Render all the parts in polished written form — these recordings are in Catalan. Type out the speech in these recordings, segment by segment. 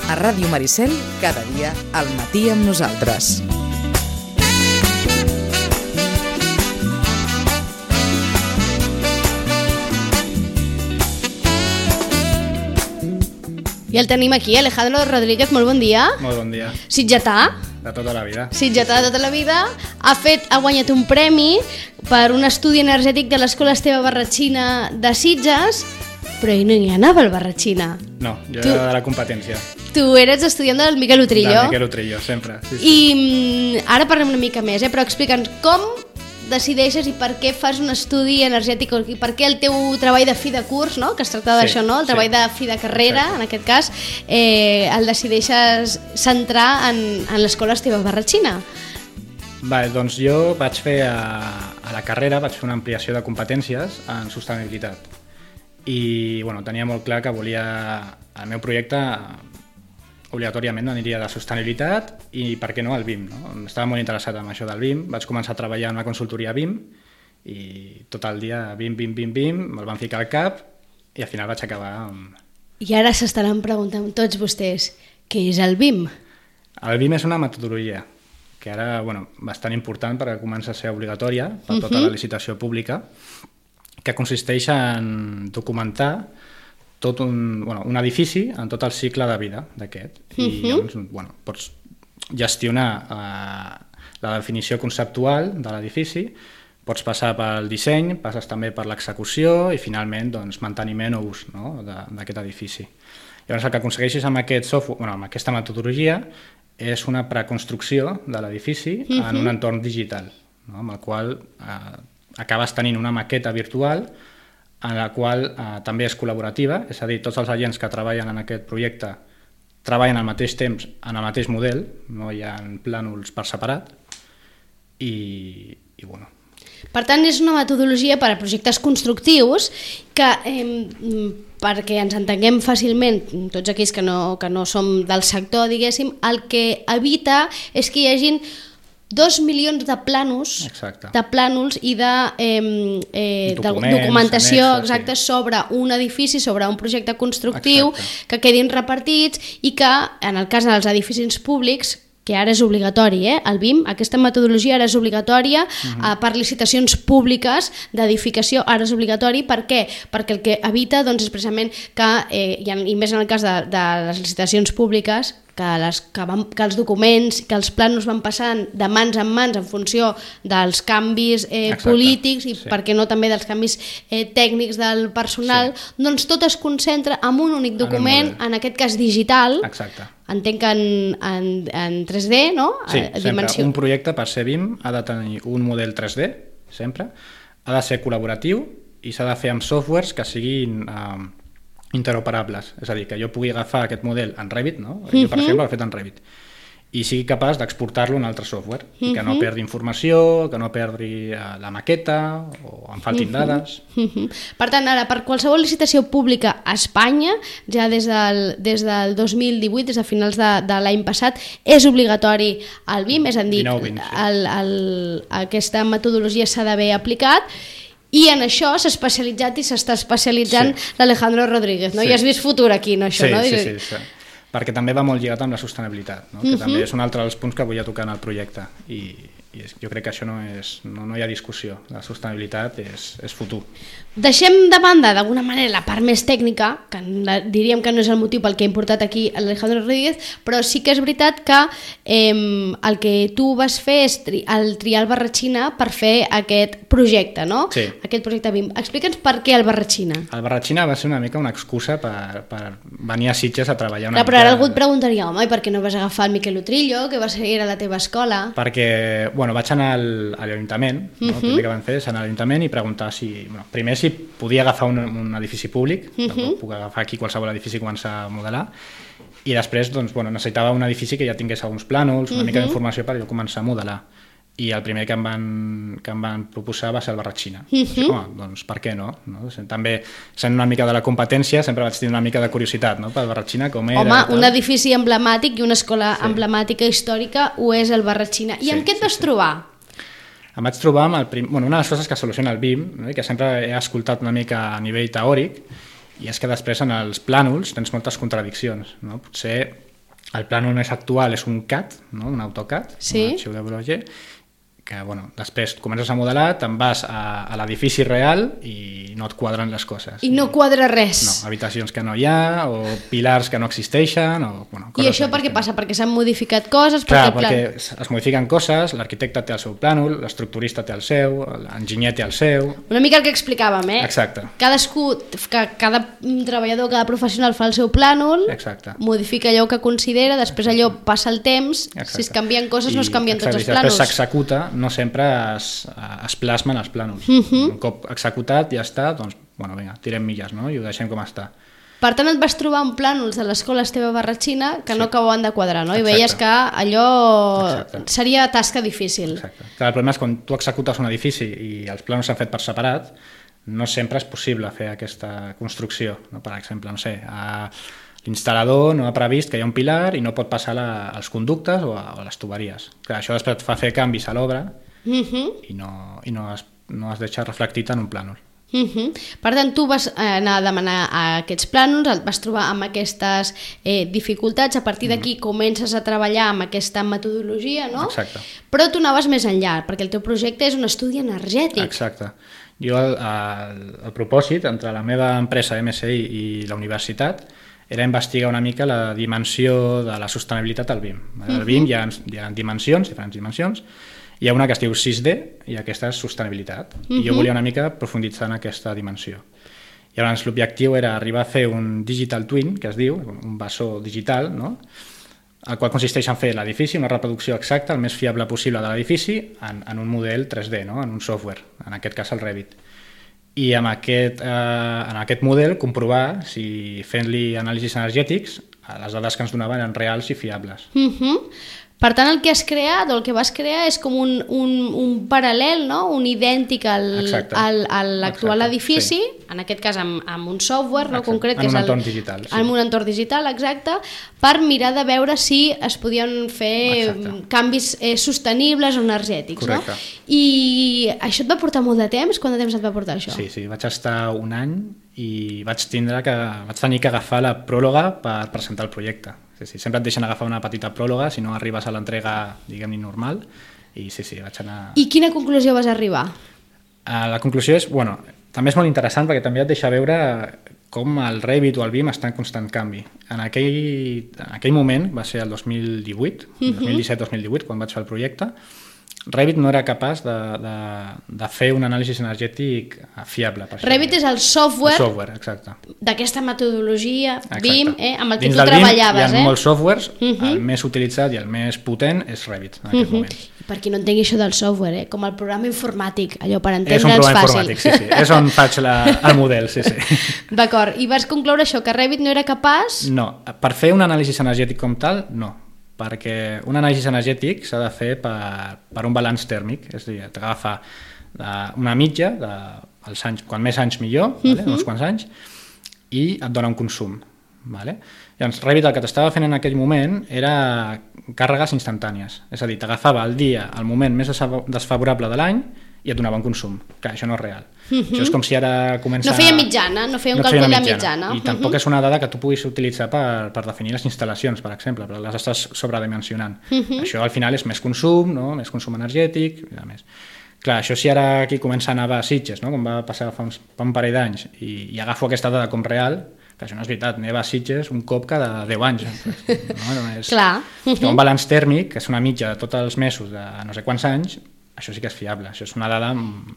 A Ràdio Maricel, cada dia al matí amb nosaltres. I el tenim aquí, Alejandro Rodríguez, molt bon dia. Molt bon dia. Sitgetà. De tota la vida. Sitgetà de tota la vida. Ha guanyat un premi per un estudi energètic de l'Escola Esteve Barratxina de Sitges, però ell no hi anava al Barratxina. No, jo era de la competència. Tu eres estudiant del Miquel Utrillo. Del Miquel Utrillo, sempre. Sí, sí. I ara parlem una mica més, però explica'ns com decideixes i per què fas un estudi energètic i per què el teu treball de fi de curs, no? Que es tracta d'això, no? El treball de fi de carrera, exacte. En aquest cas, el decideixes centrar en l'Escola Esteve Barratxina. Vale, doncs jo vaig fer a la carrera vaig fer una ampliació de competències en sostenibilitat i tenia molt clar que volia el meu projecte obligatòriament aniria de sostenibilitat i per què no al BIM, no? Estava molt interessat en això del BIM, vaig començar a treballar en una consultoria BIM i tot el dia BIM, me'l van ficar al cap i al final vaig acabar amb... I ara s'estaran preguntant tots vostès, què és el BIM? El BIM és una metodologia que ara, bastant important perquè comença a ser obligatòria per tota la licitació pública, que consisteix en documentar tot un edifici en tot el cicle de vida d'aquest. I llavors, pots gestionar la definició conceptual de l'edifici, pots passar pel disseny, passes també per l'execució i finalment manteniment o ús, no? d'aquest edifici. Llavors el que aconsegueixes amb aquest software, amb aquesta metodologia, és una preconstrucció de l'edifici en un entorn digital, no? Amb el qual acabes tenint una maqueta virtual en la qual també és col·laborativa, és a dir, tots els agents que treballen en aquest projecte treballen al mateix temps en el mateix model, no hi ha plànols per separat i bueno. Per tant, és una metodologia per a projectes constructius que, perquè ens entenguem fàcilment, tots aquells que no som del sector, diguéssim, el que evita és que hi hagin 2 milions de plànols i de documentació exacta sobre un edifici, sobre un projecte constructiu, que quedin repartits i que, en el cas dels edificis públics, que ara és obligatori, el BIM, aquesta metodologia ara és obligatòria per licitacions públiques d'edificació, ara és obligatori. Per què? Perquè el que evita és precisament que, i més en el cas de les licitacions públiques, que els documents, que els plànols van passant de mans en mans en funció dels canvis polítics i per què no també dels canvis tècnics del personal, doncs tot es concentra en un únic document, en aquest cas digital. Exacte. Entenc que en 3D, no? Sí, sempre. Un projecte per ser BIM ha de tenir un model 3D, sempre, ha de ser col·laboratiu i s'ha de fer amb softwares que siguin interoperables, és a dir, que jo pugui agafar aquest model en Revit, no? Jo, per exemple, l'he fet en Revit, i sigui capaç d'exportar-lo a un altre software, i que no perdi informació, que no perdi la maqueta, o en faltin dades. Per tant, ara, per qualsevol licitació pública a Espanya, ja des del 2018, des de finals de l'any passat, és obligatori el BIM, és a dir, aquesta metodologia s'ha d'haver aplicat, i en això s'ha especialitzat i s'està especialitzant l'Alejandro Rodríguez, no? I has vist futur aquí, no? Això, no? Sí. Perquè també va molt lligat amb la sostenibilitat, no? Que també és un altre dels punts que volia tocar en el projecte i jo crec que això no hi ha discussió, la sostenibilitat és futur. Deixem de banda d'alguna manera la part més tècnica, que diríem que no és el motiu pel que ha importat aquí l'Alejandro Rodríguez, però sí que és veritat que el que tu vas fer és triar el Barratxina per fer aquest projecte, no? Sí. Aquest projecte BIM. Explica'ns per què el Barratxina. El Barratxina va ser una mica una excusa per venir a Sitges a treballar una mica... Però ara algú et preguntaria, home, i per què no vas agafar el Miquel Utrillo, que va ser a la teva escola? Perquè, vaig anar a l'Ajuntament, el primer que van fer és anar a l'Ajuntament i preguntar primer si podia agafar un edifici públic, puc agafar aquí qualsevol edifici quan s'ha a modelar, i després necessitava un edifici que ja tingués alguns plànols, una mica d'informació per jo començar a modelar. I el primer que em van proposar va ser el Barratxina. Doncs per què no? També, sent una mica de la competència, sempre vaig tenir una mica de curiositat, no? Pel Barratxina, com era... Home, un edifici emblemàtic i una escola emblemàtica històrica ho és el Barratxina. I amb què et vas trobar? Em vaig trobar amb una de les coses que soluciona el BIM, no? Que sempre he escoltat una mica a nivell teòric, i és que després en els plànols tens moltes contradiccions, no? Potser El plànol més actual és un CAD, no? Un AutoCAD, Sí. un arxiu de WG, que bueno, després comences a modelar, te'n vas a l'edifici real i no et quadren les coses. I no quadra res. No, habitacions que no hi ha, o pilars que no existeixen, o... Bueno, I això per què passa? Perquè s'han modificat coses? Clar, perquè es modifiquen coses, l'arquitecte té el seu plànol, l'estructurista té el seu, l'enginyer té el seu... Una mica el que explicàvem, eh? Exacte. Cada treballador, cada professional fa el seu plànol, Exacte. modifica allò que considera, després allò passa el temps, Exacte. si es canvien coses no es canvien tots els I després plànols. s'executa, no sempre es plasmen els plànols. Un cop executat ja està, doncs, bueno, vinga, tirem milles, no? I ho deixem com està. Per tant, et vas trobar amb plànols de l'escola Esteve Barratxina que no acabaven de quadrar, no? I Exacte. veies que allò Exacte. seria tasca difícil. Exacte. Clar, el problema és quan tu executes un edifici i els plànols s'han fet per separat, no sempre és possible fer aquesta construcció. No? Per exemple, no sé, l'instal·lador no ha previst que hi ha un pilar i no pot passar als conductes o a les tuberies. Clar, això després et fa fer canvis a l'obra i no es deixa reflectit en un plànol. Per tant, tu vas anar a demanar aquests plànols, et vas trobar amb aquestes dificultats, a partir d'aquí comences a treballar amb aquesta metodologia, no? Exacte. Però tu anaves més enllà, perquè el teu projecte és un estudi energètic. Exacte. Jo el propòsit entre la meva empresa MSI i la universitat era investigar una mica la dimensió de la sostenibilitat al BIM. Al BIM hi ha dimensions, diferents dimensions. Hi ha una que es diu 6D i aquesta és sostenibilitat. I jo volia una mica profunditzar en aquesta dimensió. I llavors l'objectiu era arribar a fer un digital twin, que es diu, un bessó digital, no? El qual consisteix en fer l'edifici, una reproducció exacta, el més fiable possible de l'edifici, en un model 3D, no? En un software, en aquest cas el Revit. I en aquest model comprovar si fent-li anàlisis energètics les dades que ens donaven eren reals i fiables. Per tant, el que has creat o el que vas crear és com un paral·lel, no? Un idèntic a l'actual edifici, en aquest cas amb un software no? concret, en un entorn digital. En un entorn digital, exacte, per mirar de veure si es podien fer canvis sostenibles o energètics. Correcte. No? I això et va portar molt de temps? Quant de temps et va portar això? Sí, vaig estar un any i vaig tenir que agafar la pròloga per presentar el projecte. Sí, sempre et deixen agafar una petita pròloga si no arribes a l'entrega, diguem-ne, normal. I vaig anar... I quina conclusió vas arribar? La conclusió és, bueno, també és molt interessant perquè també et deixa veure com el Revit o el BIM està en constant canvi. En aquell moment, va ser el 2018, 2017-2018, quan vaig fer el projecte, Revit no era capaç de fer un anàlisi energètic fiable. Revit és el software, exacte, d'aquesta metodologia BIM, amb el que dins tu treballaves. Dins del BIM hi ha molts softwares, el més utilitzat i el més potent és Revit en aquest moment. Per qui no entengui això del software, com el programa informàtic, allò per entendre'ns fàcil. És un programa informàtic, sí. És on faig el model, sí. D'acord, i vas concloure això, que Revit no era capaç? No, per fer un anàlisi energètic com tal, no. Perquè un anàlisi energètic s'ha de fer per un balanç tèrmic, és a dir, t'agafa una mitja, dels anys, quan més anys millor, uns quants anys, i et dona un consum. Llavors, Revit el que t'estava fent en aquell moment era càrregues instantànies, és a dir, t'agafava el dia, el moment més desfavorable de l'any i et donava un consum. Clar, això no és real. Això és com si ara comença... No feia mitjana, no feia un càlcul de mitjana. I tampoc és una dada que tu puguis utilitzar per definir les instal·lacions, per exemple, perquè les estàs sobredimensionant. Això al final és més consum, no? Més consum energètic, i a més. Clar, això si ara aquí comença a nevar a Sitges, no? Com va passar fa un parell d'anys, i agafo aquesta dada com real, que això no és veritat, neva a Sitges un cop cada 10 anys. No és... Clar. Un balanç tèrmic, que és una mitja de tots els mesos de no sé quants anys, això sí que és fiable, això és una dada...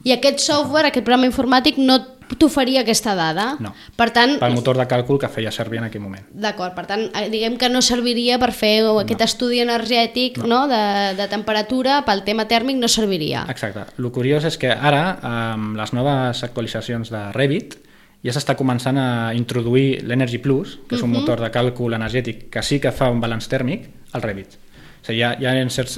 I aquest software, aquest programa informàtic, no t'oferia aquesta dada? No, per tant, pel motor de càlcul que feia servir en aquell moment. D'acord, per tant, diguem que no serviria per fer aquest estudi energètic de temperatura, pel tema tèrmic no serviria. Exacte. El curiós és que ara, amb les noves actualitzacions de Revit, ja s'està començant a introduir l'Energy Plus, que és un motor de càlcul energètic que sí que fa un balanç tèrmic, al Revit. O sigui, hi ha certs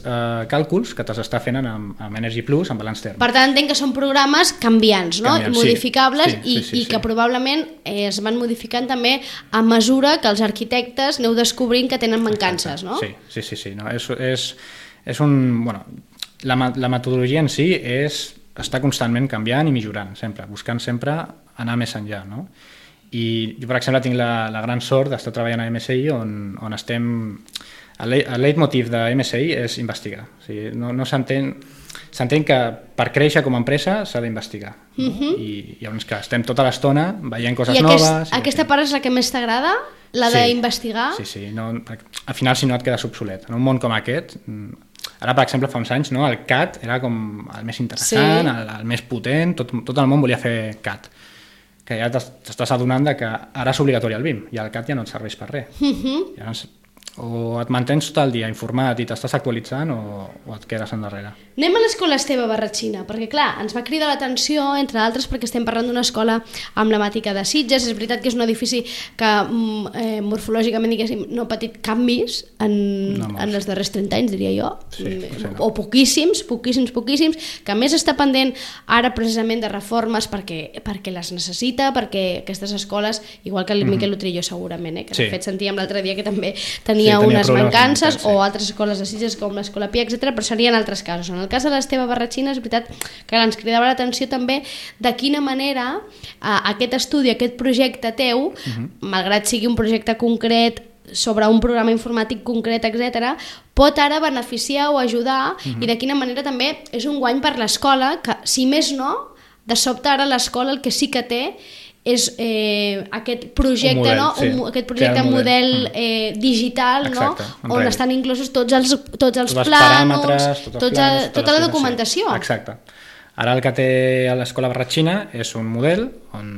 càlculs que t'està fent amb Energy Plus, amb balanç tèrmic. Per tant, entenc que són programes canviants, no? Modificables, i que probablement es van modificant també a mesura que els arquitectes aneu descobrint que tenen mancances, no? Sí. No, és un... Bueno, la metodologia en si està constantment canviant i millorant, sempre, buscant sempre anar més enllà, no? I jo, per exemple, tinc la gran sort d'estar treballant a MSI on estem... El leitmotiv de MSI és investigar. O sigui, no s'entén que per créixer com a empresa s'ha d'investigar. I llavors, clar, estem tota l'estona veient coses noves... Aquesta part és la que més t'agrada? La d'investigar? Sí. Al final, si no, et quedes obsolet. En un món com aquest... Ara, per exemple, fa uns anys, no, el CAD era com el més interessant, el més potent, tot el món volia fer CAD. Que ja t'estàs adonant que ara és obligatori el BIM i el CAD ja no et serveix per res. Llavors, o et mantens tot el dia informat i t'estàs actualitzant o et quedes endarrere. Anem a l'escola Esteve Barratxina, perquè clar, ens va cridar l'atenció, entre altres, perquè estem parlant d'una escola emblemàtica de Sitges. És veritat que és un edifici que morfològicament, diguéssim, no ha patit canvis en els darrers 30 anys, diria jo, o poquíssims, que a més està pendent ara precisament de reformes perquè les necessita, perquè aquestes escoles, igual que el Miquel Utrillo segurament, que de fet sentíem l'altre dia que també tenia unes mancances, o altres escoles de Sitges com l'Escola Pia, etc., però serien altres casos. En el cas de l'Esteve Barratxina és veritat que ens cridava l'atenció també de quina manera aquest estudi, aquest projecte teu, malgrat sigui un projecte concret sobre un programa informàtic concret, etc., pot ara beneficiar o ajudar, i de quina manera també és un guany per l'escola, que si més no, de sobte ara l'escola el que sí que té és aquest projecte, aquest projecte model digital, on estan inclosos tots els plànols, tota la documentació. Exacte. Ara el que té a l'Escola Barratxina és un model on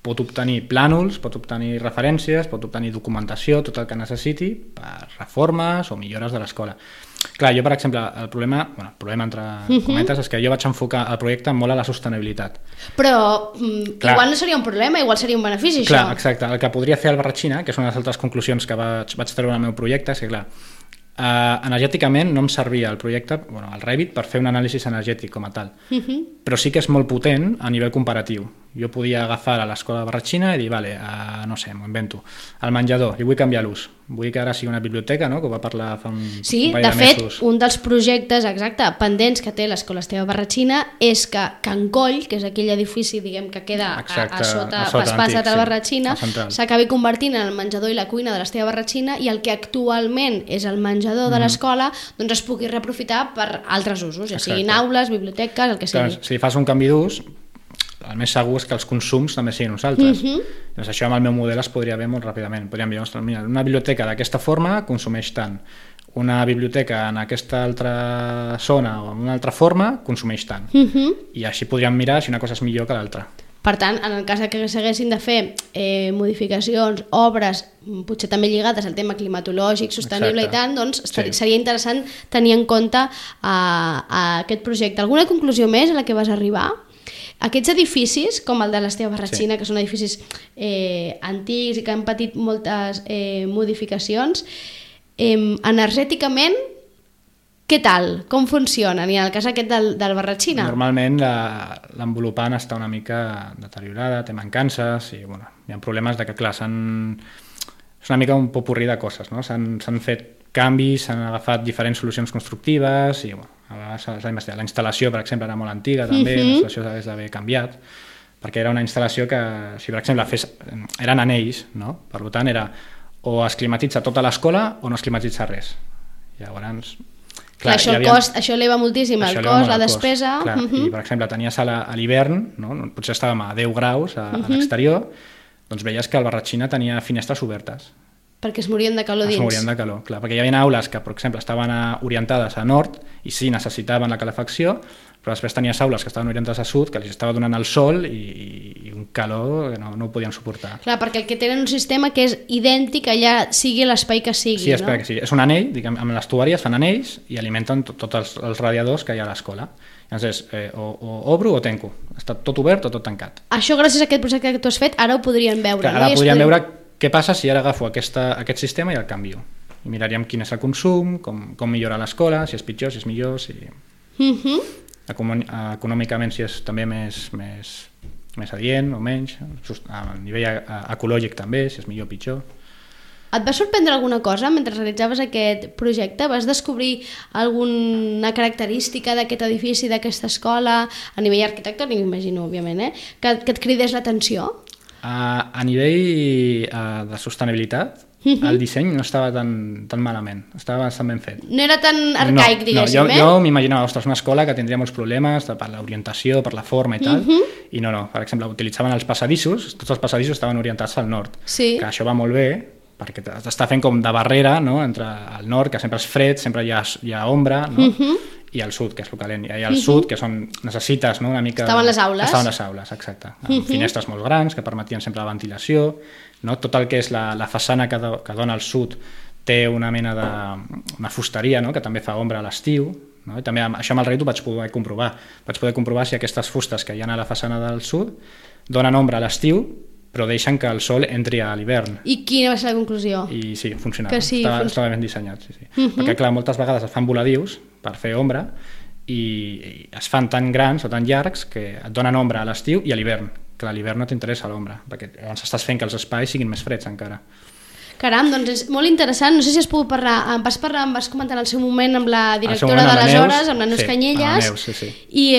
pot obtenir plànols, pot obtenir referències, pot obtenir documentació, tot el que necessiti per reformes o millores de l'escola. Clar, jo, per exemple, el problema entre cometes és que jo vaig enfocar el projecte molt a la sostenibilitat. Però igual no seria un problema, igual seria un benefici, això. Clar, exacte. El que podria fer el Barratxina, que és una de les altres conclusions que vaig treure al meu projecte, és que, clar, energèticament no em servia el projecte, el Revit, per fer un anàlisi energètic com a tal, però sí que és molt potent a nivell comparatiu. Jo podia agafar a l'escola de Barratxina i dir, no sé, m'ho invento, el menjador, i vull canviar l'ús. Vull que ara sigui una biblioteca, no?, que ho va parlar fa un parell de mesos. Sí, de fet, un dels projectes, pendents que té l'Escola Esteve Barratxina és que Can Coll, que és aquell edifici, diguem, que queda a sota Passat a Barratxina, s'acabi convertint en el menjador i la cuina de l'Esteve Barratxina, i el que actualment és el menjador de l'escola, doncs es pugui reaprofitar per altres usos, ja siguin aules, biblioteques, el que sigui. Si fas un canvi d'ús, el més segur és que els consums també siguin uns altres. Doncs això amb el meu model es podria ver molt ràpidament. Podríem dir, mira, una biblioteca d'aquesta forma consumeix tant, una biblioteca en aquesta altra zona o en una altra forma consumeix tant. I així podríem mirar si una cosa és millor que l'altra. Per tant, en el cas que s'haguessin de fer modificacions, obres, potser també lligades al tema climatològic, sostenible i tant, doncs seria interessant tenir en compte aquest projecte. Alguna conclusió més a la que vas arribar? Aquests edificis, com el de l'Esteve Barratxina, que són edificis antics i que han patit moltes modificacions, energèticament, què tal? Com funcionen? I en el cas aquest del Barratxina? Normalment l'envolupant està una mica deteriorada, té mancances i hi ha problemes de que, clar, és una mica un popurrí de coses, no? S'han fet canvis, s'han agafat diferents solucions constructives i a vegades s'ha d'investigar. La instal·lació, per exemple, era molt antiga també, la instal·lació s'hagués d'haver canviat, perquè era una instal·lació que, si per exemple eren anells, no? Per tant era o es climatitza tota l'escola o no es climatitza res. Llavors, clar, això eleva moltíssim el cost, la despesa. I per exemple tenies a l'hivern, potser estàvem a 10 graus a l'exterior, doncs veies que el Barratxina tenia finestres obertes. Perquè es morien de calor dins. Es morien de calor, clar, perquè hi havia aules que, per exemple, estaven orientades a nord i sí, necessitaven la calefacció, però després tenies aules que estaven orientades a sud, que els estava donant el sol i un calor que no ho podien suportar. Clar, perquè el que tenen un sistema que és idèntic allà sigui l'espai que sigui, no? Sí, que sí. És un anell, diguem, amb l'estuari es fan anells i alimenten tots els radiadors que hi ha a l'escola. Llavors, o obro o tanco. Està tot obert o tot tancat. Això, gràcies a aquest projecte que tu has fet, ara ho podrien veure. Clar, ara podríem veure què passa si ara agafo aquest sistema i el canvio. I miraríem quin és el consum, com millora l'escola, si és pitjor, si és millor, si... Econòmicament si és també més adient o menys, a nivell ecològic també, si és millor o pitjor. Et va sorprendre alguna cosa mentre realitzaves aquest projecte? Vas descobrir alguna característica d'aquest edifici, d'aquesta escola, a nivell arquitectònic, m'imagino, òbviament, que et cridés l'atenció? A nivell de sostenibilitat, el disseny no estava tan malament, estava bastant ben fet. No era tan arcaic, diguéssim, jo m'imaginava, ostres, una escola que tindria molts problemes per l'orientació, per la forma i tal, i no, per exemple, utilitzaven els passadissos, tots els passadissos estaven orientats al nord, que això va molt bé, perquè t'està fent com de barrera, no?, entre el nord, que sempre és fred, sempre hi ha ombra, no?, i al sud, que és el calent. I al sud, que necessites, no?, una mica... Estaven les aules. Estaven les aules, exacte. Amb finestres molt grans, que permetien sempre la ventilació, no? Tot el que és la façana que dona al sud té una mena una fusteria, no?, que també fa ombra a l'estiu, no? I també això amb el Revit ho vaig poder comprovar. Vaig poder comprovar si aquestes fustes que hi ha a la façana del sud donen ombra a l'estiu, però deixen que el sol entri a l'hivern. I quina va ser la conclusió? I sí, funcionava. Que sí, estava ben dissenyat, sí. Perquè, clar, moltes vegades es fan voladius per fer ombra i es fan tan grans o tan llargs que et donen ombra a l'estiu i a l'hivern. Clar, a l'hivern no t'interessa l'ombra, perquè llavors estàs fent que els espais siguin més freds encara. Caram, doncs és molt interessant. No sé si has pogut parlar, em vas comentar en el seu moment amb la directora d'aleshores, amb la Neus Canyelles, i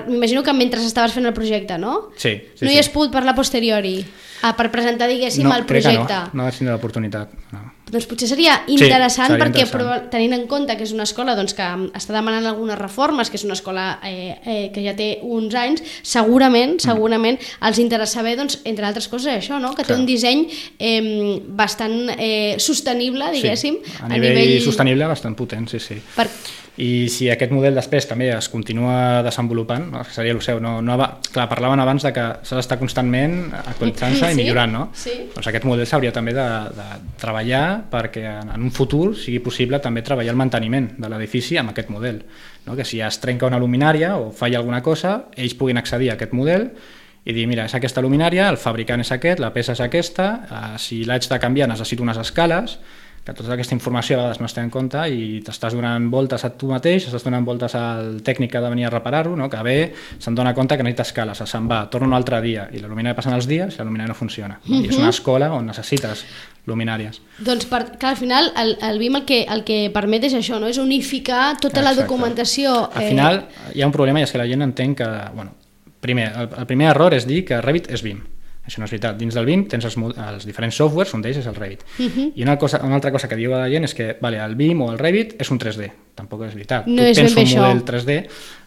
m'imagino que mentre estaves fent el projecte, no? Sí. No hi has pogut parlar a posteriori, per presentar, diguéssim, el projecte? No vaig tenir l'oportunitat, no. Doncs potser seria interessant, perquè tenint en compte que és una escola doncs, que està demanant algunes reformes, que és una escola que ja té uns anys, segurament els interessa saber, doncs, entre altres coses, això, no? Que té un disseny bastant sostenible, diguéssim. Sí, a nivell sostenible bastant potent, sí. I si aquest model després també es continua desenvolupant, no? Seria el seu, clar, parlaven abans de que s'ha d'estar constantment actualitzant-se i millorant, no? Sí. Doncs aquest model s'hauria també de treballar perquè en un futur sigui possible també treballar el manteniment de l'edifici amb aquest model, no? Que si es trenca una luminària o falla alguna cosa, ells puguin accedir a aquest model i dir, mira, és aquesta luminària, el fabricant és aquest, la peça és aquesta, si l'haig de canviar necessito unes escales, que tota aquesta informació a vegades no es té en compte i t'estàs donant voltes a tu mateix, estàs donant voltes al tècnic que ha de venir a reparar-ho, no? Que ve, se'n dona compte que necessita escales, se'n va, torna un altre dia i la luminària passen els dies i la luminària no funciona. I és una escola on necessites luminàries. Doncs, clar, al final el BIM el que permet és això, no? És unificar tota la documentació. Al final hi ha un problema i és que la gent entén que, primer, el primer error és dir que Revit és BIM. Això no és veritat. Dins del BIM tens els diferents softwares, un d'ells és el Revit. I una altra cosa que diu la gent és que el BIM o el Revit és un 3D. Tampoc és veritat. No és ben bé això. Tu tens un model 3D,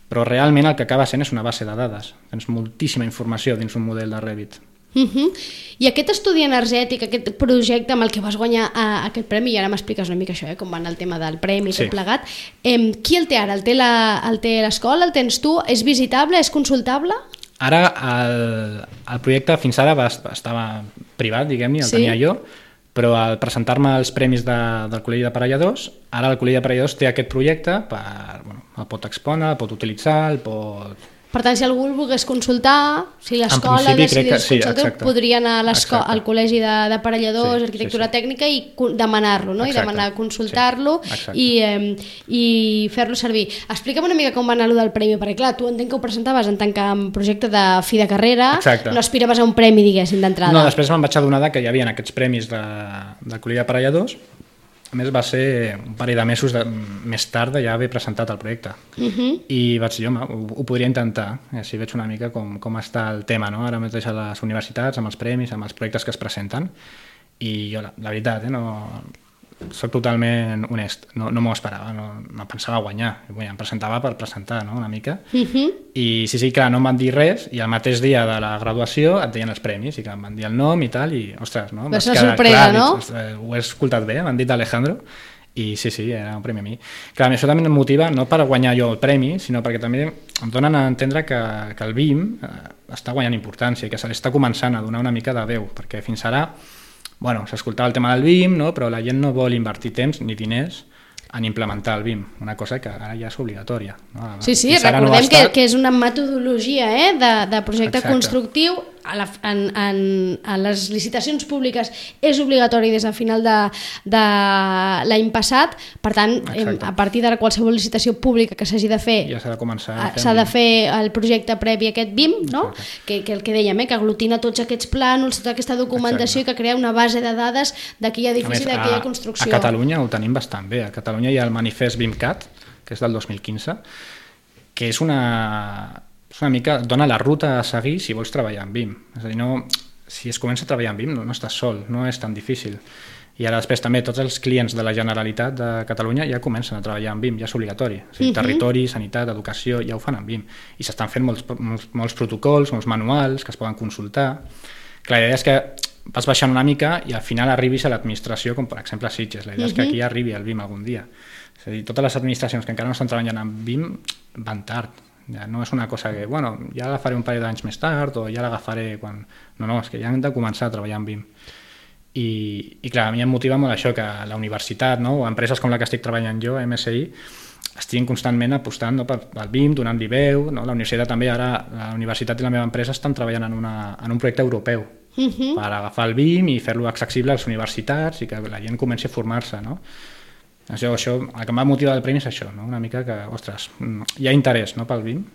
però realment el que acaba sent és una base de dades. Tens moltíssima informació dins un model de Revit. I aquest estudi energètic, aquest projecte amb el que vas guanyar aquest premi, i ara m'expliques una mica això, com va anar el tema del premi i tot plegat, qui el té ara? El té l'escola? El tens tu? És visitable? És consultable? Ara el projecte fins ara estava privat, diguem-ne, el tenia jo, però al presentar-me als premis del Col·legi d'Aparelladors, ara el Col·legi d'Aparelladors té aquest projecte, el pot exponer, el pot utilitzar, el pot... Per tant, si algú el volgués consultar, si l'escola decidís consultar, podria anar al Col·legi d'Aparelladors, Arquitectura Tècnica i demanar-lo, no? I demanar consultar-lo i fer-lo servir. Explica'm una mica com va anar allò del premi, perquè clar, tu entenc que ho presentaves en tant que projecte de fi de carrera, no aspiraves a un premi, diguéssim, d'entrada. No, després me'n vaig adonar que hi havia aquests premis del Col·legi d'Aparelladors. A més, va ser un parell de mesos més tard de ja haver presentat el projecte. I vaig dir, home, ho podria intentar, així veig una mica com està el tema, no? Ara mateix a les universitats, amb els premis, amb els projectes que es presenten, i jo, la veritat, soc totalment honest, no m'ho esperava, no pensava guanyar, em presentava per presentar, no? Una mica, i sí, clar, no em van dir res, i el mateix dia de la graduació et deien els premis, i que em van dir el nom i tal, i ostres, no? Va ser sorpresa, no? Ho he escoltat bé, m'han dit Alejandro, i sí, era un premi a mi. Clar, això també em motiva, no per guanyar jo el premi, sinó perquè també em donen a entendre que el BIM està guanyant importància, que se li està començant a donar una mica de veu, perquè fins ara s'escoltava el tema del BIM, no? Però la gent no vol invertir temps ni diners en implementar el BIM, una cosa que ara ja és obligatòria. No? Sí, recordem que és una metodologia de projecte constructiu, a les licitacions públiques és obligatori des del final de l'any passat, per tant, a partir de qualsevol licitació pública que s'hagi de fer, ja s'ha de començar s'ha de fer el projecte previ a aquest BIM, no? Que el que dèiem, que aglutina tots aquests plànols, tota aquesta documentació, que crea una base de dades d'aquell edifici, d'aquella construcció. A Catalunya ho tenim bastant bé. A Catalunya hi ha el manifest BIMCAT, que és del 2015, que és una mica, dona la ruta a seguir si vols treballar en BIM. És a dir, si es comença a treballar amb BIM no estàs sol, no és tan difícil. I ara després també tots els clients de la Generalitat de Catalunya ja comencen a treballar amb BIM, ja és obligatori. O sigui, territori, sanitat, educació, ja ho fan amb BIM. I s'estan fent molts protocols, molts manuals que es poden consultar. Clar, la idea és que vas baixant una mica i al final arribis a l'administració, com per exemple a Sitges. La idea és que aquí arribi el BIM algun dia. És a dir, totes les administracions que encara no estan treballant amb BIM van tard. Ja no és una cosa que, bueno, ja l'agafaré un parell d'anys més tard o ja l'agafaré quan... No, és que ja hem de començar a treballar amb BIM. I clar, a mi em motiva molt això, que la universitat, no? O empreses com la que estic treballant jo, MSI, estiguin constantment apostant pel BIM, donant-li veu, no? La universitat també, ara la universitat i la meva empresa estan treballant en un projecte europeu per agafar el BIM i fer-lo accessible a les universitats i que la gent comenci a formar-se, no? Això, el que em va motivar del premi és això, no? Una mica que, ostres, hi ha interès, no, pel BIM.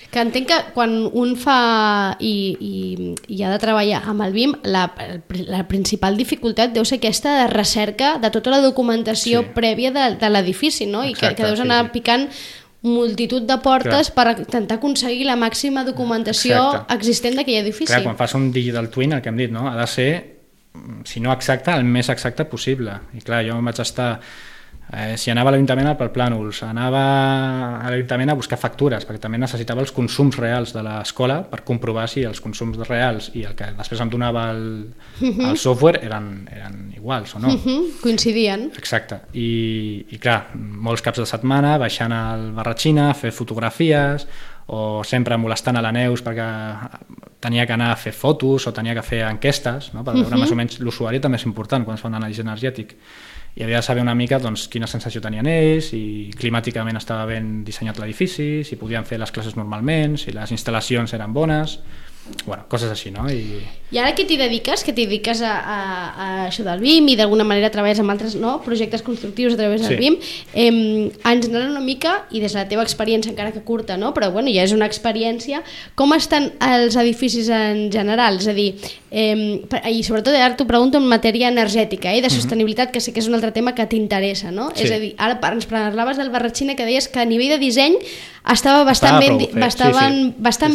Que entenc que quan un fa i ha de treballar amb el BIM, la principal dificultat deu ser aquesta de recerca de tota la documentació prèvia de l'edifici, no? Exacte, i que deus anar picant multitud de portes per intentar aconseguir la màxima documentació existent d'aquell edifici. Clar, quan fas un digital twin, el que hem dit, no? Ha de ser, si no exacte, el més exacte possible. I clar, jo vaig estar... si anava a l'Ajuntament per plànols, anava a l'Ajuntament a buscar factures, perquè també necessitava els consums reals de l'escola per comprovar si els consums reals i el que després em donava el software eren iguals o no. Coincidien. Exacte. I clar, molts caps de setmana baixant al Barratxina a fer fotografies o sempre molestant a la Neus perquè tenia que anar a fer fotos o tenia que fer enquestes, no? Per veure més o menys l'usuari també és important quan es fa un anàlisi energètic. I havia de saber una mica doncs, quina sensació tenien ells, si climàticament estava ben dissenyat l'edifici, si podien fer les classes normalment, si les instal·lacions eren bones, bueno, coses així, no? I ara què t'hi dediques? Que t'hi dediques a això del BIM i d'alguna manera treballes amb altres projectes constructius a través del BIM. Ens anem una mica, i des de la teva experiència, encara que curta, no? Però bueno, ja és una experiència, com estan els edificis en general? És a dir, i sobretot ara t'ho pregunto en matèria energètica, de sostenibilitat, que sé que és un altre tema que t'interessa, no? És a dir, ara ens parlaves del Barratxina, que deies que a nivell de disseny estava bastant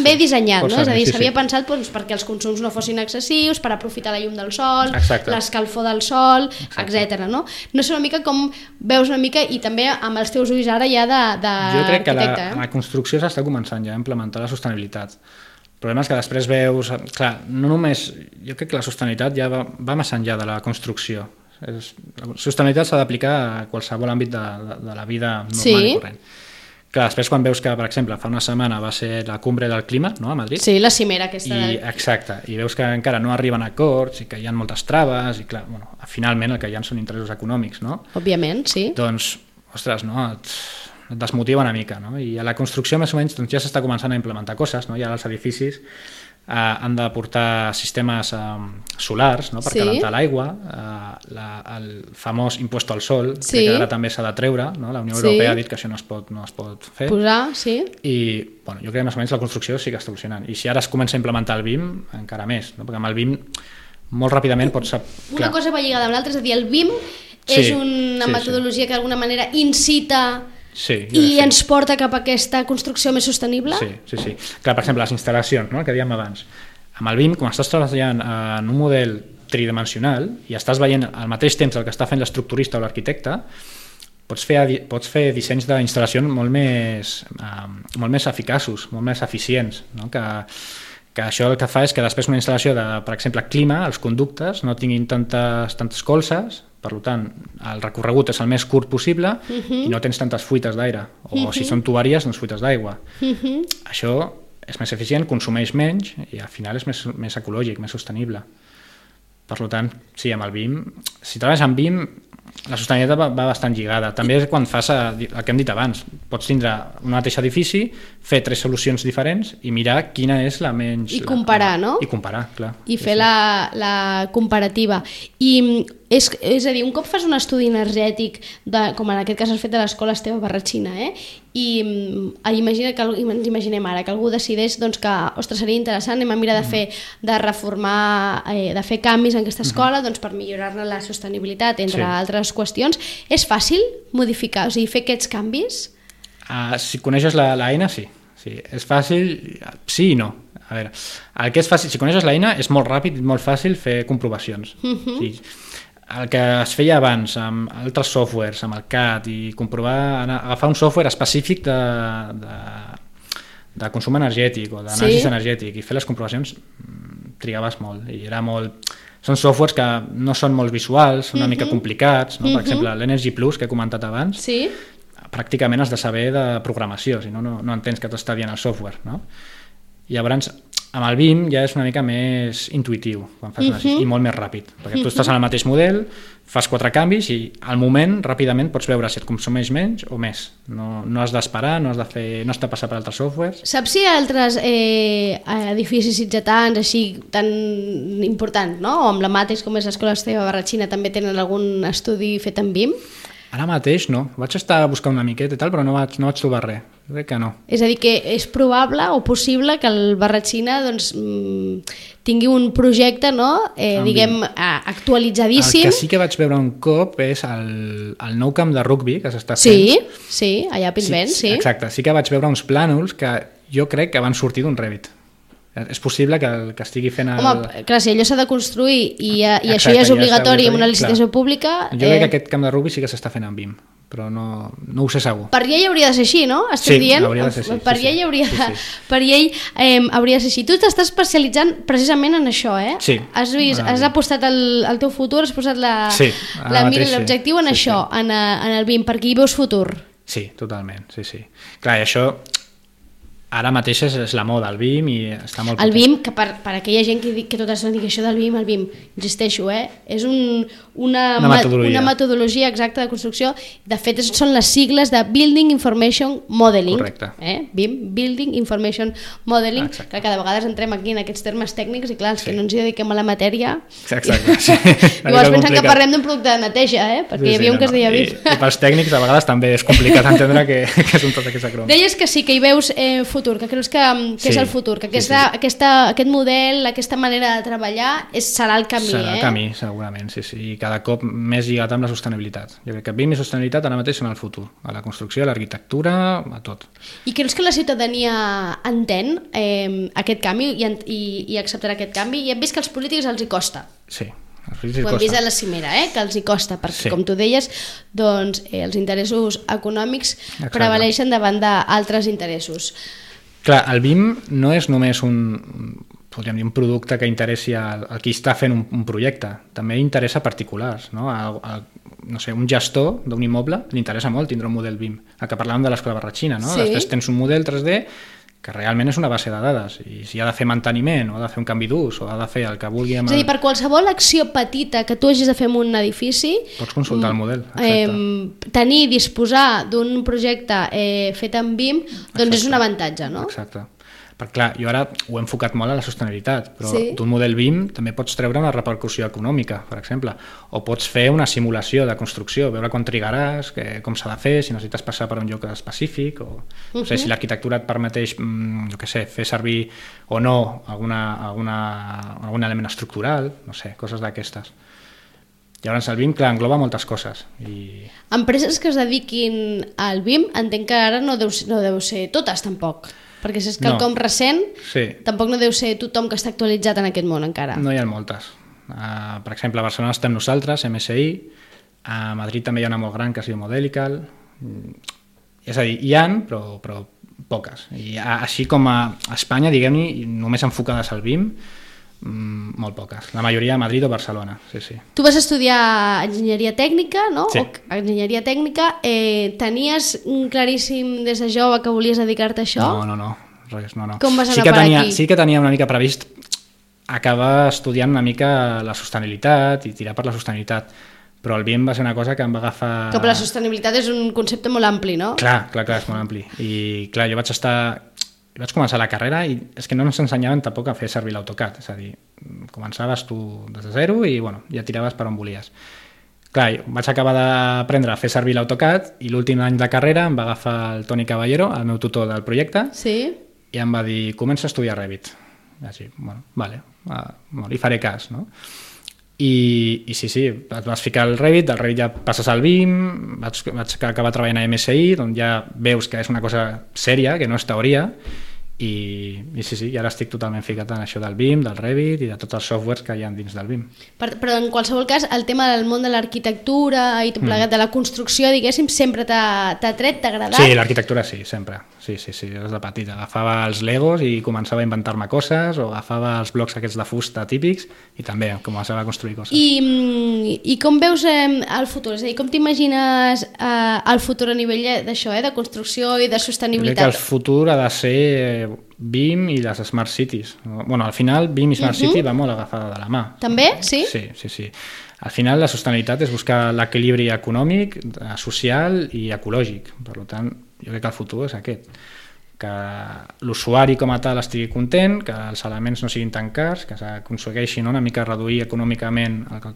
bé dissenyat, no? És a dir, s'havia pensat perquè els consums no fossin excessius, per aprofitar la llum del sol, l'escalfor del sol, etc. No sé una mica com veus una mica, i també amb els teus ulls ara ja d'arquitecte. Jo crec que la construcció s'està començant ja a implementar la sostenibilitat. El problema és que després veus... Clar, no només... Jo crec que la sostenibilitat ja va més enllà de la construcció. La sostenibilitat s'ha d'aplicar a qualsevol àmbit de la vida normal i corrent. Clar, després quan veus que, per exemple, fa una setmana va ser la cumbre del clima, no?, a Madrid. Sí, la cimera aquesta. Exacte, i veus que encara no arriben a acords i que hi ha moltes traves i, clar, bueno, finalment el que hi ha són interessos econòmics, no? Òbviament, sí. Doncs, ostres, no?, et desmotiva una mica, no? I a la construcció, més o menys, doncs, ja s'està començant a implementar coses, no? Ja els edificis han de portar sistemes solars, no?, per calentar l'aigua, el famós impost al sol, que ara també s'ha de treure, no? La Unió Europea ha dit que això no es pot fer. Posar, sí. I bueno, jo crec que més o menys la construcció sí que està evolucionant. I si ara es comença a implementar el BIM, encara més, no? Perquè amb el BIM molt ràpidament pots... Una cosa va lligada amb l'altra, és a dir, el BIM és una metodologia que d'alguna manera incita... I ens porta cap a aquesta construcció més sostenible? Sí. Clar, per exemple, les instal·lacions, no?, que dèiem abans. Amb el BIM, quan estàs treballant en un model tridimensional i estàs veient al mateix temps el que està fent l'estructurista o l'arquitecte, pots fer dissenys d'instal·lacions molt més eficaços, molt més eficients, no? Que això el que fa és que després una instal·lació de, per exemple, clima, els conductes no tinguin tantes colzes, per tant, el recorregut és el més curt possible i no tens tantes fuites d'aire, o si són tuberies, doncs fuites d'aigua. Això és més eficient, consumeix menys i al final és més ecològic, més sostenible. Per tant, sí, amb el BIM, si treballes amb BIM, la sostenibilitat va bastant lligada. També quan fas el que hem dit abans, pots tindre un mateix edifici, fer 3 solucions diferents i mirar quina és la menys... I comparar, no? I comparar, clar. I fer la comparativa. I és a dir, un cop fas un estudi energètic, com en aquest cas has fet de l'escola Esteve Barratxina, i ens imaginem ara que algú decideix que, ostres, seria interessant, anem a mirar de reformar, de fer canvis en aquesta escola per millorar-ne la sostenibilitat, entre altres qüestions. És fàcil modificar, o sigui, fer aquests canvis? Si coneixes l'eina, sí. És fàcil, sí i no. A veure, el que és fàcil, si coneixes l'eina, és molt ràpid i molt fàcil fer comprovacions. Sí. El que es feia abans amb altres softwares, amb el CAD, i comprovar, agafar un software específic de consum energètic o d'anàlisi energètic i fer les comprovacions, trigaves molt. I era molt... Són softwares que no són molt visuals, són una mica complicats, no? Per exemple, l'Energy Plus, que he comentat abans, pràcticament has de saber de programació, si no, no entens què t'està dient el software, no? I llavors, amb el BIM ja és una mica més intuïtiu quan fas i molt més ràpid, perquè tu estàs en el mateix model, fas 4 canvis i al moment, ràpidament, pots veure si et consumeix menys o més. No has d'esperar, no has de passar per altres softwares. Saps si hi ha altres edificis sitgetans així tan importants, no? O emblemàtics com és l'Escola Esteve Barratxina també tenen algun estudi fet en BIM? Ara mateix no. Vaig estar buscant una miqueta i tal, però no vaig trobar res. Jo crec que no. És a dir, que és probable o possible que el Barratxina doncs, tingui un projecte, no? Diguem, actualitzadíssim. El que sí que vaig veure un cop és el nou camp de rugbi que s'està fent. Sí, allà a Pinsbens, sí. Exacte, sí que vaig veure uns plànols que jo crec que van sortir d'un Revit. És possible que estigui fent el... Home, clar, si allò s'ha de construir i això ja és obligatori en una licitació pública... Jo crec que aquest camp de rugbi sí que s'està fent en BIM, però no ho sé segur. Per llei hauria de ser així, no? Estic dient? Hauria de ser així. Per llei hauria de ser així. Tu t'estàs especialitzant precisament en això, eh? Sí. Has apostat el teu futur, has posat la mira, l'objectiu en això, en el BIM, perquè hi veus futur. Sí, totalment, sí. Clar, i això... Ara mateix és la moda, el BIM, i està molt potent. El BIM, que per aquella gent que tot això digui això del BIM, el BIM, insisteixo, és una metodologia exacta de construcció. De fet, són les sigles de Building Information Modeling. Correcte. BIM, Building Information Modeling, que cada vegada entrem aquí en aquests termes tècnics i clar, els que no ens hi dediquem a la matèria... Exacte, sí. Llavors pensen que parlem d'un producte de neteja, perquè hi havia un que es deia BIM. I pels tècnics a vegades també és complicat entendre que són tots aquests acrònims. Deies que sí, que hi veus futur, que creus que és el futur, que aquest model, aquesta manera de treballar serà el camí. Serà el camí, segurament, sí. I cada cop més lligat amb la sostenibilitat. Jo crec que BIM i sostenibilitat ara mateix són el futur, a la construcció, a l'arquitectura, a tot. I creus que la ciutadania entén aquest canvi i acceptarà aquest canvi? I hem vist que als polítics els hi costa. Sí. Ho hem vist a la cimera, que els hi costa, perquè com tu deies, doncs, els interessos econòmics prevaleixen davant d'altres interessos. Clar, el BIM no és només podríem dir, un producte que interessi a qui està fent un projecte, també interessa a particulars, no? No sé, un gestor d'un immoble li interessa molt tindre un model BIM, el que parlàvem de l'Escola Barratxina, no? Després tens un model 3D que realment és una base de dades, i si ha de fer manteniment o ha de fer un canvi d'ús o ha de fer el que vulgui... És a dir, per qualsevol acció petita que tu hagis de fer en un edifici... Pots consultar el model, disposar d'un projecte fet en BIM, doncs és un avantatge, no? Exacte. Perquè clar, jo ara ho he enfocat molt a la sostenibilitat, però d'un model BIM també pots treure una repercussió econòmica, per exemple, o pots fer una simulació de construcció, veure quan trigaràs, com s'ha de fer, si necessites passar per un lloc específic, o no sé, si l'arquitectura et permeteix, jo què sé, fer servir o no algun element estructural, no sé, coses d'aquestes. Llavors el BIM, clar, engloba moltes coses. Empreses que es dediquin al BIM, entenc que ara no deu ser totes, tampoc. Perquè si és quelcom recent, tampoc no deu ser tothom que està actualitzat en aquest món encara. No hi ha moltes. Per exemple, a Barcelona estem nosaltres, MSI, a Madrid també hi ha una molt gran que es diu Modelical. És a dir, hi ha, però poques. I així com a Espanya, diguem-ne, només enfocades al BIM, molt poques. La majoria a Madrid o Barcelona, sí. Tu vas estudiar enginyeria tècnica, no? Sí. Enginyeria tècnica. Tenies claríssim des de jove que volies dedicar-te a això? No, res, no. Com vas anar per aquí? Sí que tenia una mica previst acabar estudiant una mica la sostenibilitat i tirar per la sostenibilitat, però el BIM va ser una cosa que em va agafar... Que la sostenibilitat és un concepte molt ampli, no? Clar, és molt ampli. I clar, jo vaig començar la carrera i és que no ens ensenyaven tampoc a fer servir l'AutoCAD, és a dir, començaves tu des de zero i ja tiraves per on volies. Clar, vaig acabar d'aprendre a fer servir l'AutoCAD i l'últim any de carrera em va agafar el Toni Caballero, el meu tutor del projecte, i em va dir, comença a estudiar Revit. Així, vale, li faré cas, no? I sí, et vas ficar al Revit, del Revit ja passes al BIM, vaig acabar treballant a MSI, on ja veus que és una cosa sèria, que no és teoria, i sí, i ara estic totalment ficat en això del BIM, del Revit i de tots els softwares que hi ha dins del BIM. Però en qualsevol cas, el tema del món de l'arquitectura i tot plegat de la construcció, diguéssim, sempre t'ha tret, t'ha agradat? Sí, l'arquitectura sí, sempre. Sí, des de petit. Agafava els legos i començava a inventar-me coses, o agafava els blocs aquests de fusta típics i també començava a construir coses. I com veus el futur? És a dir, com t'imagines el futur a nivell d'això, de construcció i de sostenibilitat? Crec que el futur ha de ser BIM i les Smart Cities. Bueno, al final BIM i Smart City va molt agafada de la mà. També? Sí? Sí. Al final la sostenibilitat és buscar l'equilibri econòmic, social i ecològic. Per tant, jo crec que el futur és aquest. Que l'usuari com a tal estigui content, que els elements no siguin tan cars, que s'aconsegueixi una mica reduir econòmicament el que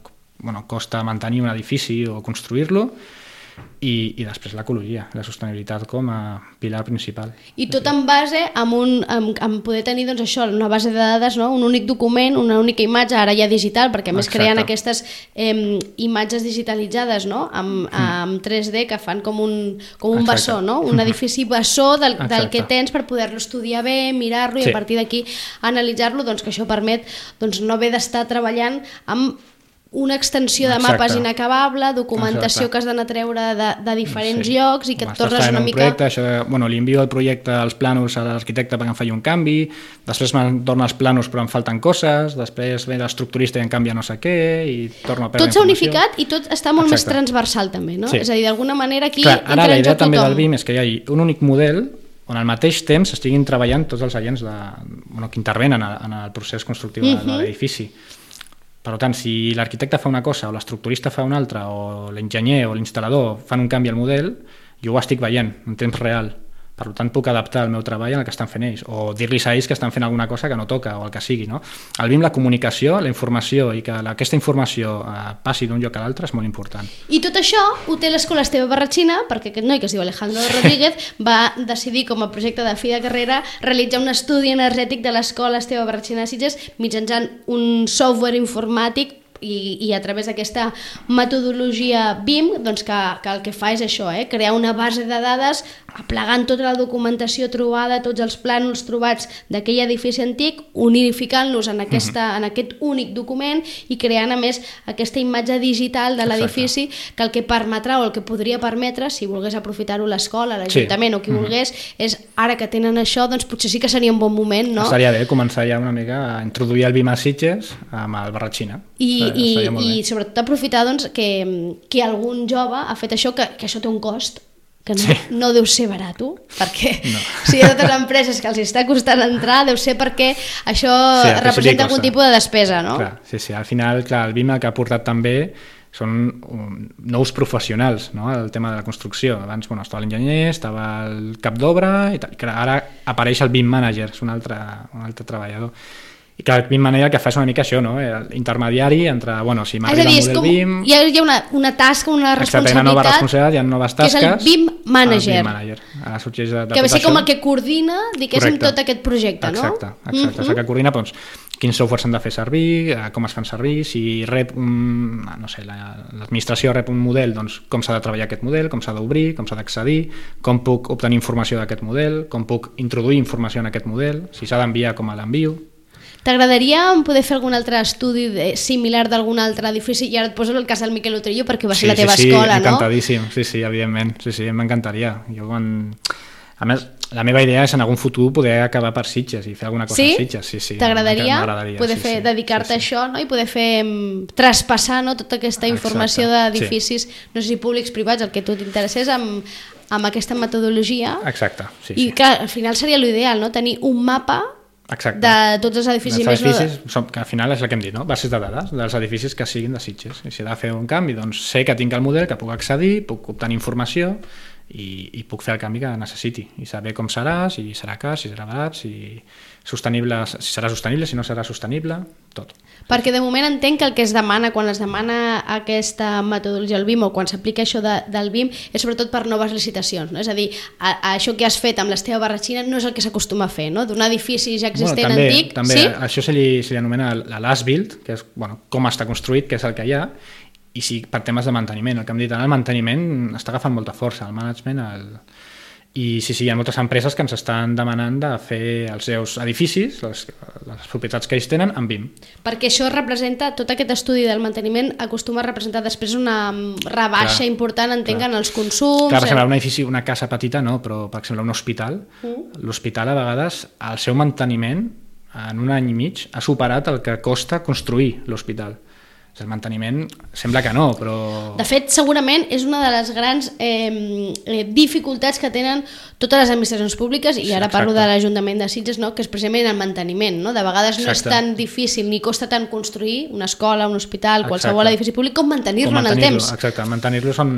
costa mantenir un edifici o construir-lo, i després l'ecologia, la sostenibilitat com a pilar principal. I tot en base en poder tenir doncs, això, una base de dades, no? Un únic document, una única imatge, ara ja digital, perquè a més creen aquestes imatges digitalitzades, no? Amb 3D que fan com un bessó, no? Un edifici bessó del que tens per poder-lo estudiar bé, mirar-lo i a partir d'aquí analitzar-lo, doncs que això permet no haver d'estar treballant amb una extensió de mapes inacabable, documentació que has d'anar a treure de diferents llocs i que et tornes una mica... Li envio el projecte, els plànols a l'arquitecte perquè em faci un canvi, després me'n torna els plànols però em falten coses, després ve l'estructurista i em canvia no sé què i torno a perdre informació. Tot s'ha unificat i tot està molt més transversal també, no? És a dir, d'alguna manera aquí entra en joc tothom. Ara la idea també del BIM és que hi hagi un únic model on al mateix temps estiguin treballant tots els agents que intervenen en el procés constructiu de l'edifici. Per tant, si l'arquitecte fa una cosa o l'estructurista fa una altra o l'enginyer o l'instal·lador fan un canvi al model, jo ho estic veient en temps real. Per tant, puc adaptar el meu treball al que estan fent ells o dir-los a ells que estan fent alguna cosa que no toca o el que sigui. No? El BIM, la comunicació, la informació i que aquesta informació passi d'un lloc a l'altre és molt important. I tot això ho té l'Escola Esteve Barratxina perquè aquest noi que es diu Alejandro Rodríguez va decidir com a projecte de fi de carrera realitzar un estudi energètic de l'Escola Esteve Barratxina de Sitges mitjançant un software informàtic i a través d'aquesta metodologia BIM doncs que el que fa és això, crear una base de dades aplegant tota la documentació trobada, tots els plànols trobats d'aquell edifici antic, unificant-los en aquest únic document i creant a més aquesta imatge digital de l'edifici que el que permetrà o el que podria permetre, si volgués aprofitar-ho l'escola, l'Ajuntament o qui volgués, és ara que tenen això, doncs potser sí que seria un bon moment, no? Estaria bé començar ja una mica a introduir el BIM a Sitges amb el Barratxina. I sobretot aprofitar doncs, que algun jove ha fet això, que això té un cost que no deu ser barat, perquè si hi ha totes les empreses que els està costant entrar, deu ser perquè això representa algun tipus de despesa, no? Sí, al final el BIM el que ha portat també són nous professionals, no? El tema de la construcció. Abans estava l'enginyer, estava el cap d'obra, i ara apareix el BIM manager, és un altre treballador. I que el BIM manager el que fa és una mica això, no? L'intermediari entre, si m'arriba el model BIM... Hi ha una tasca, una responsabilitat... Hi ha nova responsabilitat, hi ha noves tasques... Que és el BIM manager. Ara sorgeix de que ve ser com el que coordina, diguéssim, tot aquest projecte, no? Exacte. És el que coordina, quins softwares s'han de fer servir, com es fan servir, si rep l'administració rep un model, doncs com s'ha de treballar aquest model, com s'ha d'obrir, com s'ha d'accedir, com puc obtenir informació d'aquest model, com puc introduir informació en aquest model, si s'ha d'enviar, com l'envio... T'agradaria poder fer algun altre estudi similar d'algun altre edifici? I ara et poso el cas del Miquel Utrillo perquè va ser la teva escola, no? Encantadíssim, sí, evidentment, sí, m'encantaria. A més, la meva idea és en algun futur poder acabar per Sitges i fer alguna cosa a Sitges. Sí, t'agradaria poder dedicar-te a això, no? I poder traspassar tota aquesta informació d'edificis, no sé si públics, privats, el que tu t'interessés amb aquesta metodologia. Exacte, sí. I que al final seria l'ideal, no? Tenir un mapa de tots els edificis. Que al final és el que hem dit, no? Bases de dades dels edificis que siguin de Sitges. I si he de fer un canvi, doncs sé que tinc el model, que puc accedir, puc obtenir informació i puc fer el canvi que necessiti i saber com serà, si serà car, si serà barat, si serà sostenible, si no serà sostenible, tot. Perquè de moment entenc que el que es demana quan es demana aquesta metodologia del BIM o quan s'aplica això del BIM és sobretot per noves licitacions, no? És a dir, això que has fet amb l'Esteve Barratxina no és el que s'acostuma a fer, no? D'un edifici ja existent antic. També, això se li anomena l'as-built, que és com està construït, que és el que hi ha, i sí, per temes de manteniment. El que hem dit, el manteniment està agafant molta força, el management, I sí, hi ha moltes empreses que ens estan demanant de fer els seus edificis, les propietats que ells tenen, amb BIM. Perquè això representa, tot aquest estudi del manteniment acostuma a representar després una rebaixa important, entenc, en els consums... Clar, per exemple, un edifici, una casa petita, no, però per exemple un hospital, l'hospital a vegades, el seu manteniment, en un any i mig, ha superat el que costa construir l'hospital. El manteniment sembla que no, però... De fet, segurament és una de les grans dificultats que tenen totes les administracions públiques, i ara parlo de l'Ajuntament de Sitges, no? Que és precisament el manteniment. No? De vegades no és tan difícil ni costa tant construir una escola, un hospital, qualsevol edifici públic, com mantenir-lo en el temps. Exacte, mantenir-lo són...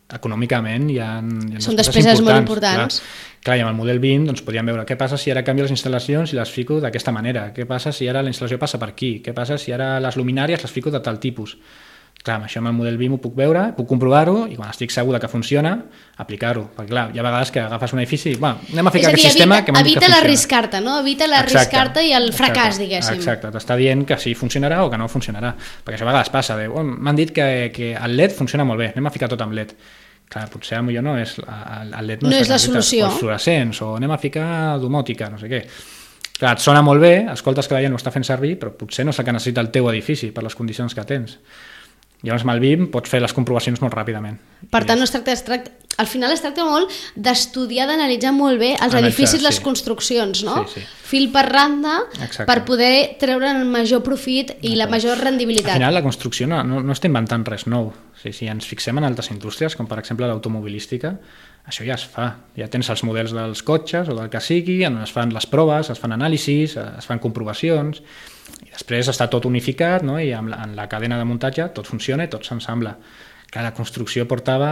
econòmicament hi ha són despeses molt importants. Clar, i amb el model BIM doncs, podríem veure què passa si ara canvio les instal·lacions i les fico d'aquesta manera, què passa si ara la instal·lació passa per aquí, què passa si ara les luminàries les fico de tal tipus. Clar, amb això amb el model BIM ho puc veure, puc comprovar-ho i quan estic segur que funciona, aplicar-ho. Perquè clar, hi ha vegades que agafes un edifici, anem a ficar aquest sistema que m'han dit que funciona. Evita l'arriscar-te, no? Evita l'arriscar-te i el fracàs, diguéssim. Exacte, t'està dient que sí funcionarà o que no funcionarà. Perquè això a vegades passa, m'han dit que el LED funciona molt bé, anem a ficar tot amb LED. Clar, potser potser no és el LED no és la solució. O els fluorescents, o anem a ficar domòtica, no sé què. Clar, et sona molt bé, escoltes que la gent ho està fent servir, però potser no és el que necessita el teu edifici per les condicions que tens. Llavors amb el BIM pots fer les comprovacions molt ràpidament. Per tant, al final es tracta molt d'estudiar, d'analitzar molt bé els edificis, les construccions, no? Sí. Fil per randa, per poder treure el major profit i la major rendibilitat. Al final la construcció no està inventant res nou. Si ens fixem en altres indústries, com per exemple l'automobilística, això ja es fa. Ja tens els models dels cotxes o del que sigui, on es fan les proves, es fan anàlisis, es fan comprovacions, i després està tot unificat, no? I en la cadena de muntatge tot funciona i tot s'ensambla. Que la construcció portava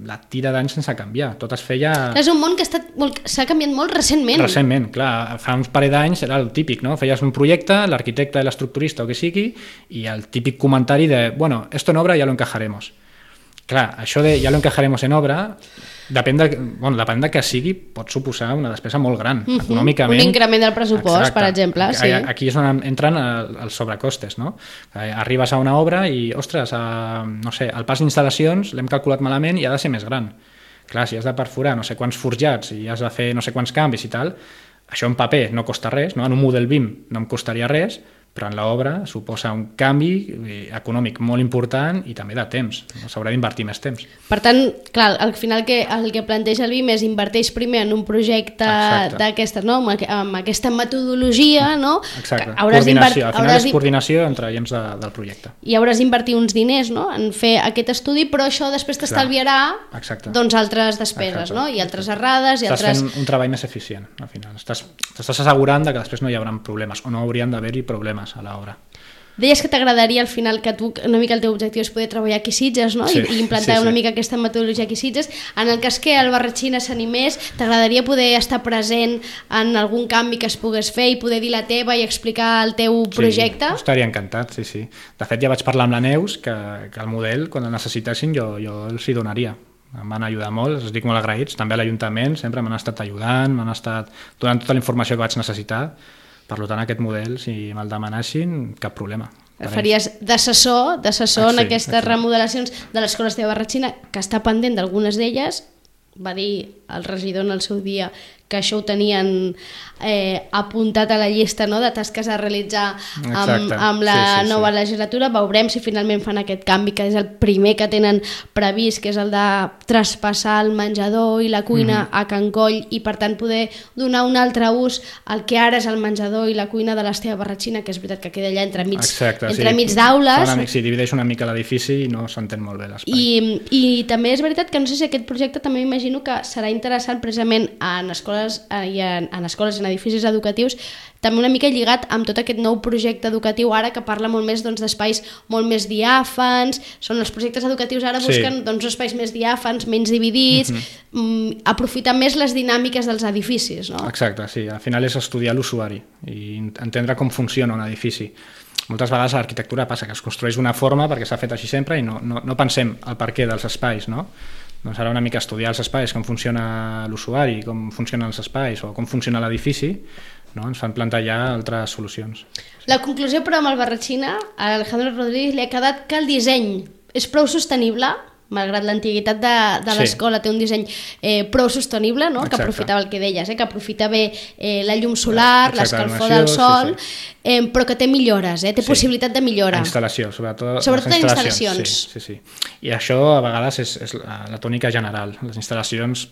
la tira d'anys sense canviar, tot es feia... És un món que s'ha canviat molt recentment. Recentment, clar, fa uns parell d'anys era el típic, no? Feies un projecte, l'arquitecte, l'estructurista o que sigui, i el típic comentari de, bueno, esto en obra ya lo encajaremos. Clar, això de ya lo encajaremos en obra, depèn de que sigui, pot suposar una despesa molt gran, econòmicament. Un increment del pressupost, per exemple. Sí. Aquí és on entren els sobrecostes, no? Arribes a una obra i, ostres, no sé, el pas d'instal·lacions l'hem calculat malament i ha de ser més gran. Clar, si has de perforar no sé quants forjats i has de fer no sé quants canvis i tal, això en paper no costa res, no? En un model BIM no em costaria res, però en l'obra suposa un canvi econòmic molt important i també de temps. S'haurà d'invertir més temps. Per tant, clar, al final el que planteja el BIM és inverteix primer en un projecte d'aquestes, no? Amb aquesta metodologia, no? Exacte, coordinació. Al final és coordinació entre agents del projecte. I hauràs d'invertir uns diners, no? En fer aquest estudi, però això després t'estalviarà doncs altres despeses, no? I altres errades... Estàs fent un treball més eficient, al final. T'estàs assegurant que després no hi haurà problemes, o no haurien d'haver-hi problemes a l'obra. Deies que t'agradaria al final que tu, una mica el teu objectiu és poder treballar aquí a Sitges, no? I implantar una mica aquesta metodologia aquí a Sitges. En el cas que el Barratxina s'animés, t'agradaria poder estar present en algun canvi que es pogués fer i poder dir la teva i explicar el teu projecte? Sí, estaria encantat, sí. De fet, ja vaig parlar amb la Neus que el model, quan el necessitessin, jo els hi donaria. Em van ajudar molt, els dic molt agraïts. També a l'Ajuntament sempre m'han estat ajudant, m'han estat donant tota la informació que vaig necessitar. Per tant, aquest model, si me'l demanessin, cap problema. Faries d'assessor en aquestes remodelacions de l'escola Esteve Barratxina, que està pendent d'algunes d'elles. Va dir el regidor en el seu dia que això ho tenien apuntat a la llista, no?, de tasques a realitzar amb la nova legislatura. Veurem si finalment fan aquest canvi, que és el primer que tenen previst, que és el de traspassar el menjador i la cuina a Can Coll i per tant poder donar un altre ús al que ara és el menjador i la cuina de l'Esteve Barratxina, que és veritat que queda allà entremig d'aules. Sí, divideix una mica l'edifici i no s'entén molt bé l'espai. I també és veritat que no sé si aquest projecte també m'imagino que serà interessant precisament en escoles i en edificis educatius, també una mica lligat amb tot aquest nou projecte educatiu ara que parla molt més d'espais molt més diàfans. Són els projectes educatius ara busquen espais més diàfans, menys dividits, aprofitar més les dinàmiques dels edificis, no? Exacte, sí. Al final és estudiar l'usuari i entendre com funciona un edifici. Moltes vegades a l'arquitectura passa que es construeix d'una forma perquè s'ha fet així sempre i no pensem el perquè dels espais, no? Doncs ara una mica estudiar els espais, com funciona l'usuari, com funcionen els espais o com funciona l'edifici, no? Ens fan plantejar altres solucions. La conclusió, però, amb el Barratxina, a Alejandro Rodríguez li ha quedat que el disseny és prou sostenible malgrat l'antiguitat de l'escola, té un disseny prou sostenible, no? Que aprofitava el que deies, que aprofita bé la llum solar, l'escalfor del sol, però que té millores, té possibilitat de millora. La instal·lació, sobretot les instal·lacions. Sí. I això a vegades és la tònica general. Les instal·lacions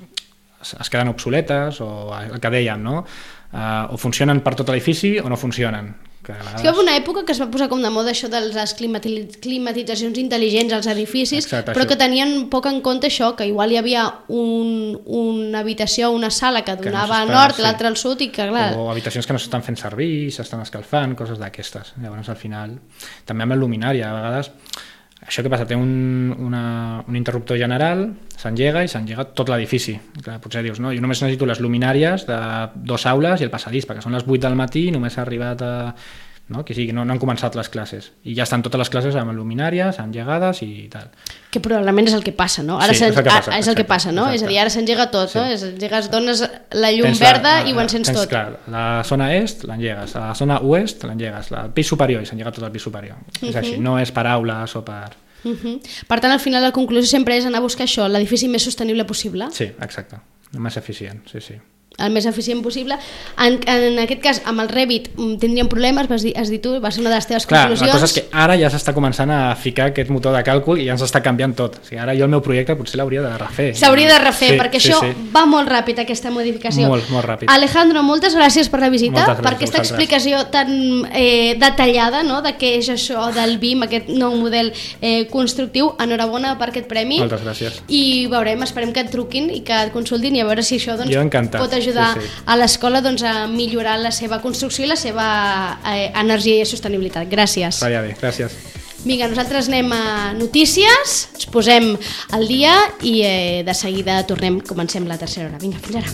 es queden obsoletes, o el que dèiem, no? O funcionen per tot l'edifici o no funcionen. Hi va una època que es va posar com de moda això de les climatitzacions intel·ligents als edificis, però que tenien poc en compte això, que igual hi havia una habitació, una sala que donava al nord, l'altra al sud, i que clar... O habitacions que no s'estan fent servir, s'estan escalfant, coses d'aquestes. Llavors al final, també amb el luminari, a vegades... Això què passa? Té un interruptor general, s'engega i s'engega tot l'edifici. Potser dius, no? Jo només necessito les luminàries de 2 aules i el passadís, perquè són les 8 del matí i només ha arribat a... No? Que sí, no han començat les classes. I ja estan totes les classes amb luminàries, engegades i tal. Que probablement és el que passa, no? Ara sí, és el que passa, no? És a dir, ara s'engega tot, no? S'engegues, dones la llum verda i ho encens tot. Clar, la zona est l'engegues, la zona oest l'engegues, el pis superior i s'engega tot el pis superior. És així, no és per aules o per... Per tant, al final la conclusió sempre és anar a buscar això, l'edifici més sostenible possible. Sí, exacte, el més eficient, sí. El més eficient possible. En aquest cas, amb el Revit tindríem problemes, has dit tu, va ser una de les teves conclusions. La cosa és que ara ja s'està començant a ficar aquest motor de càlcul i ja ens està canviant tot. O sigui, ara jo el meu projecte potser l'hauria de refer. S'hauria de refer, perquè això va molt ràpid, aquesta modificació. Molt ràpid. Alejandro, moltes gràcies per la visita, per aquesta explicació tan detallada, no?, de què és això del BIM, aquest nou model constructiu. Enhorabona per aquest premi. Moltes gràcies. I veurem, esperem que et truquin i que et consultin i a veure si això pot ajudar a l'escola a millorar la seva construcció i la seva energia i sostenibilitat. Gràcies. Vaya bé, gràcies. Vinga, nosaltres anem a notícies, ens posem al dia i de seguida comencem la tercera hora. Vinga, fins ara.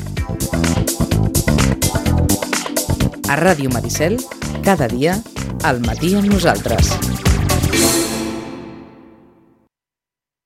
A Ràdio Maricel, cada dia, al matí amb nosaltres.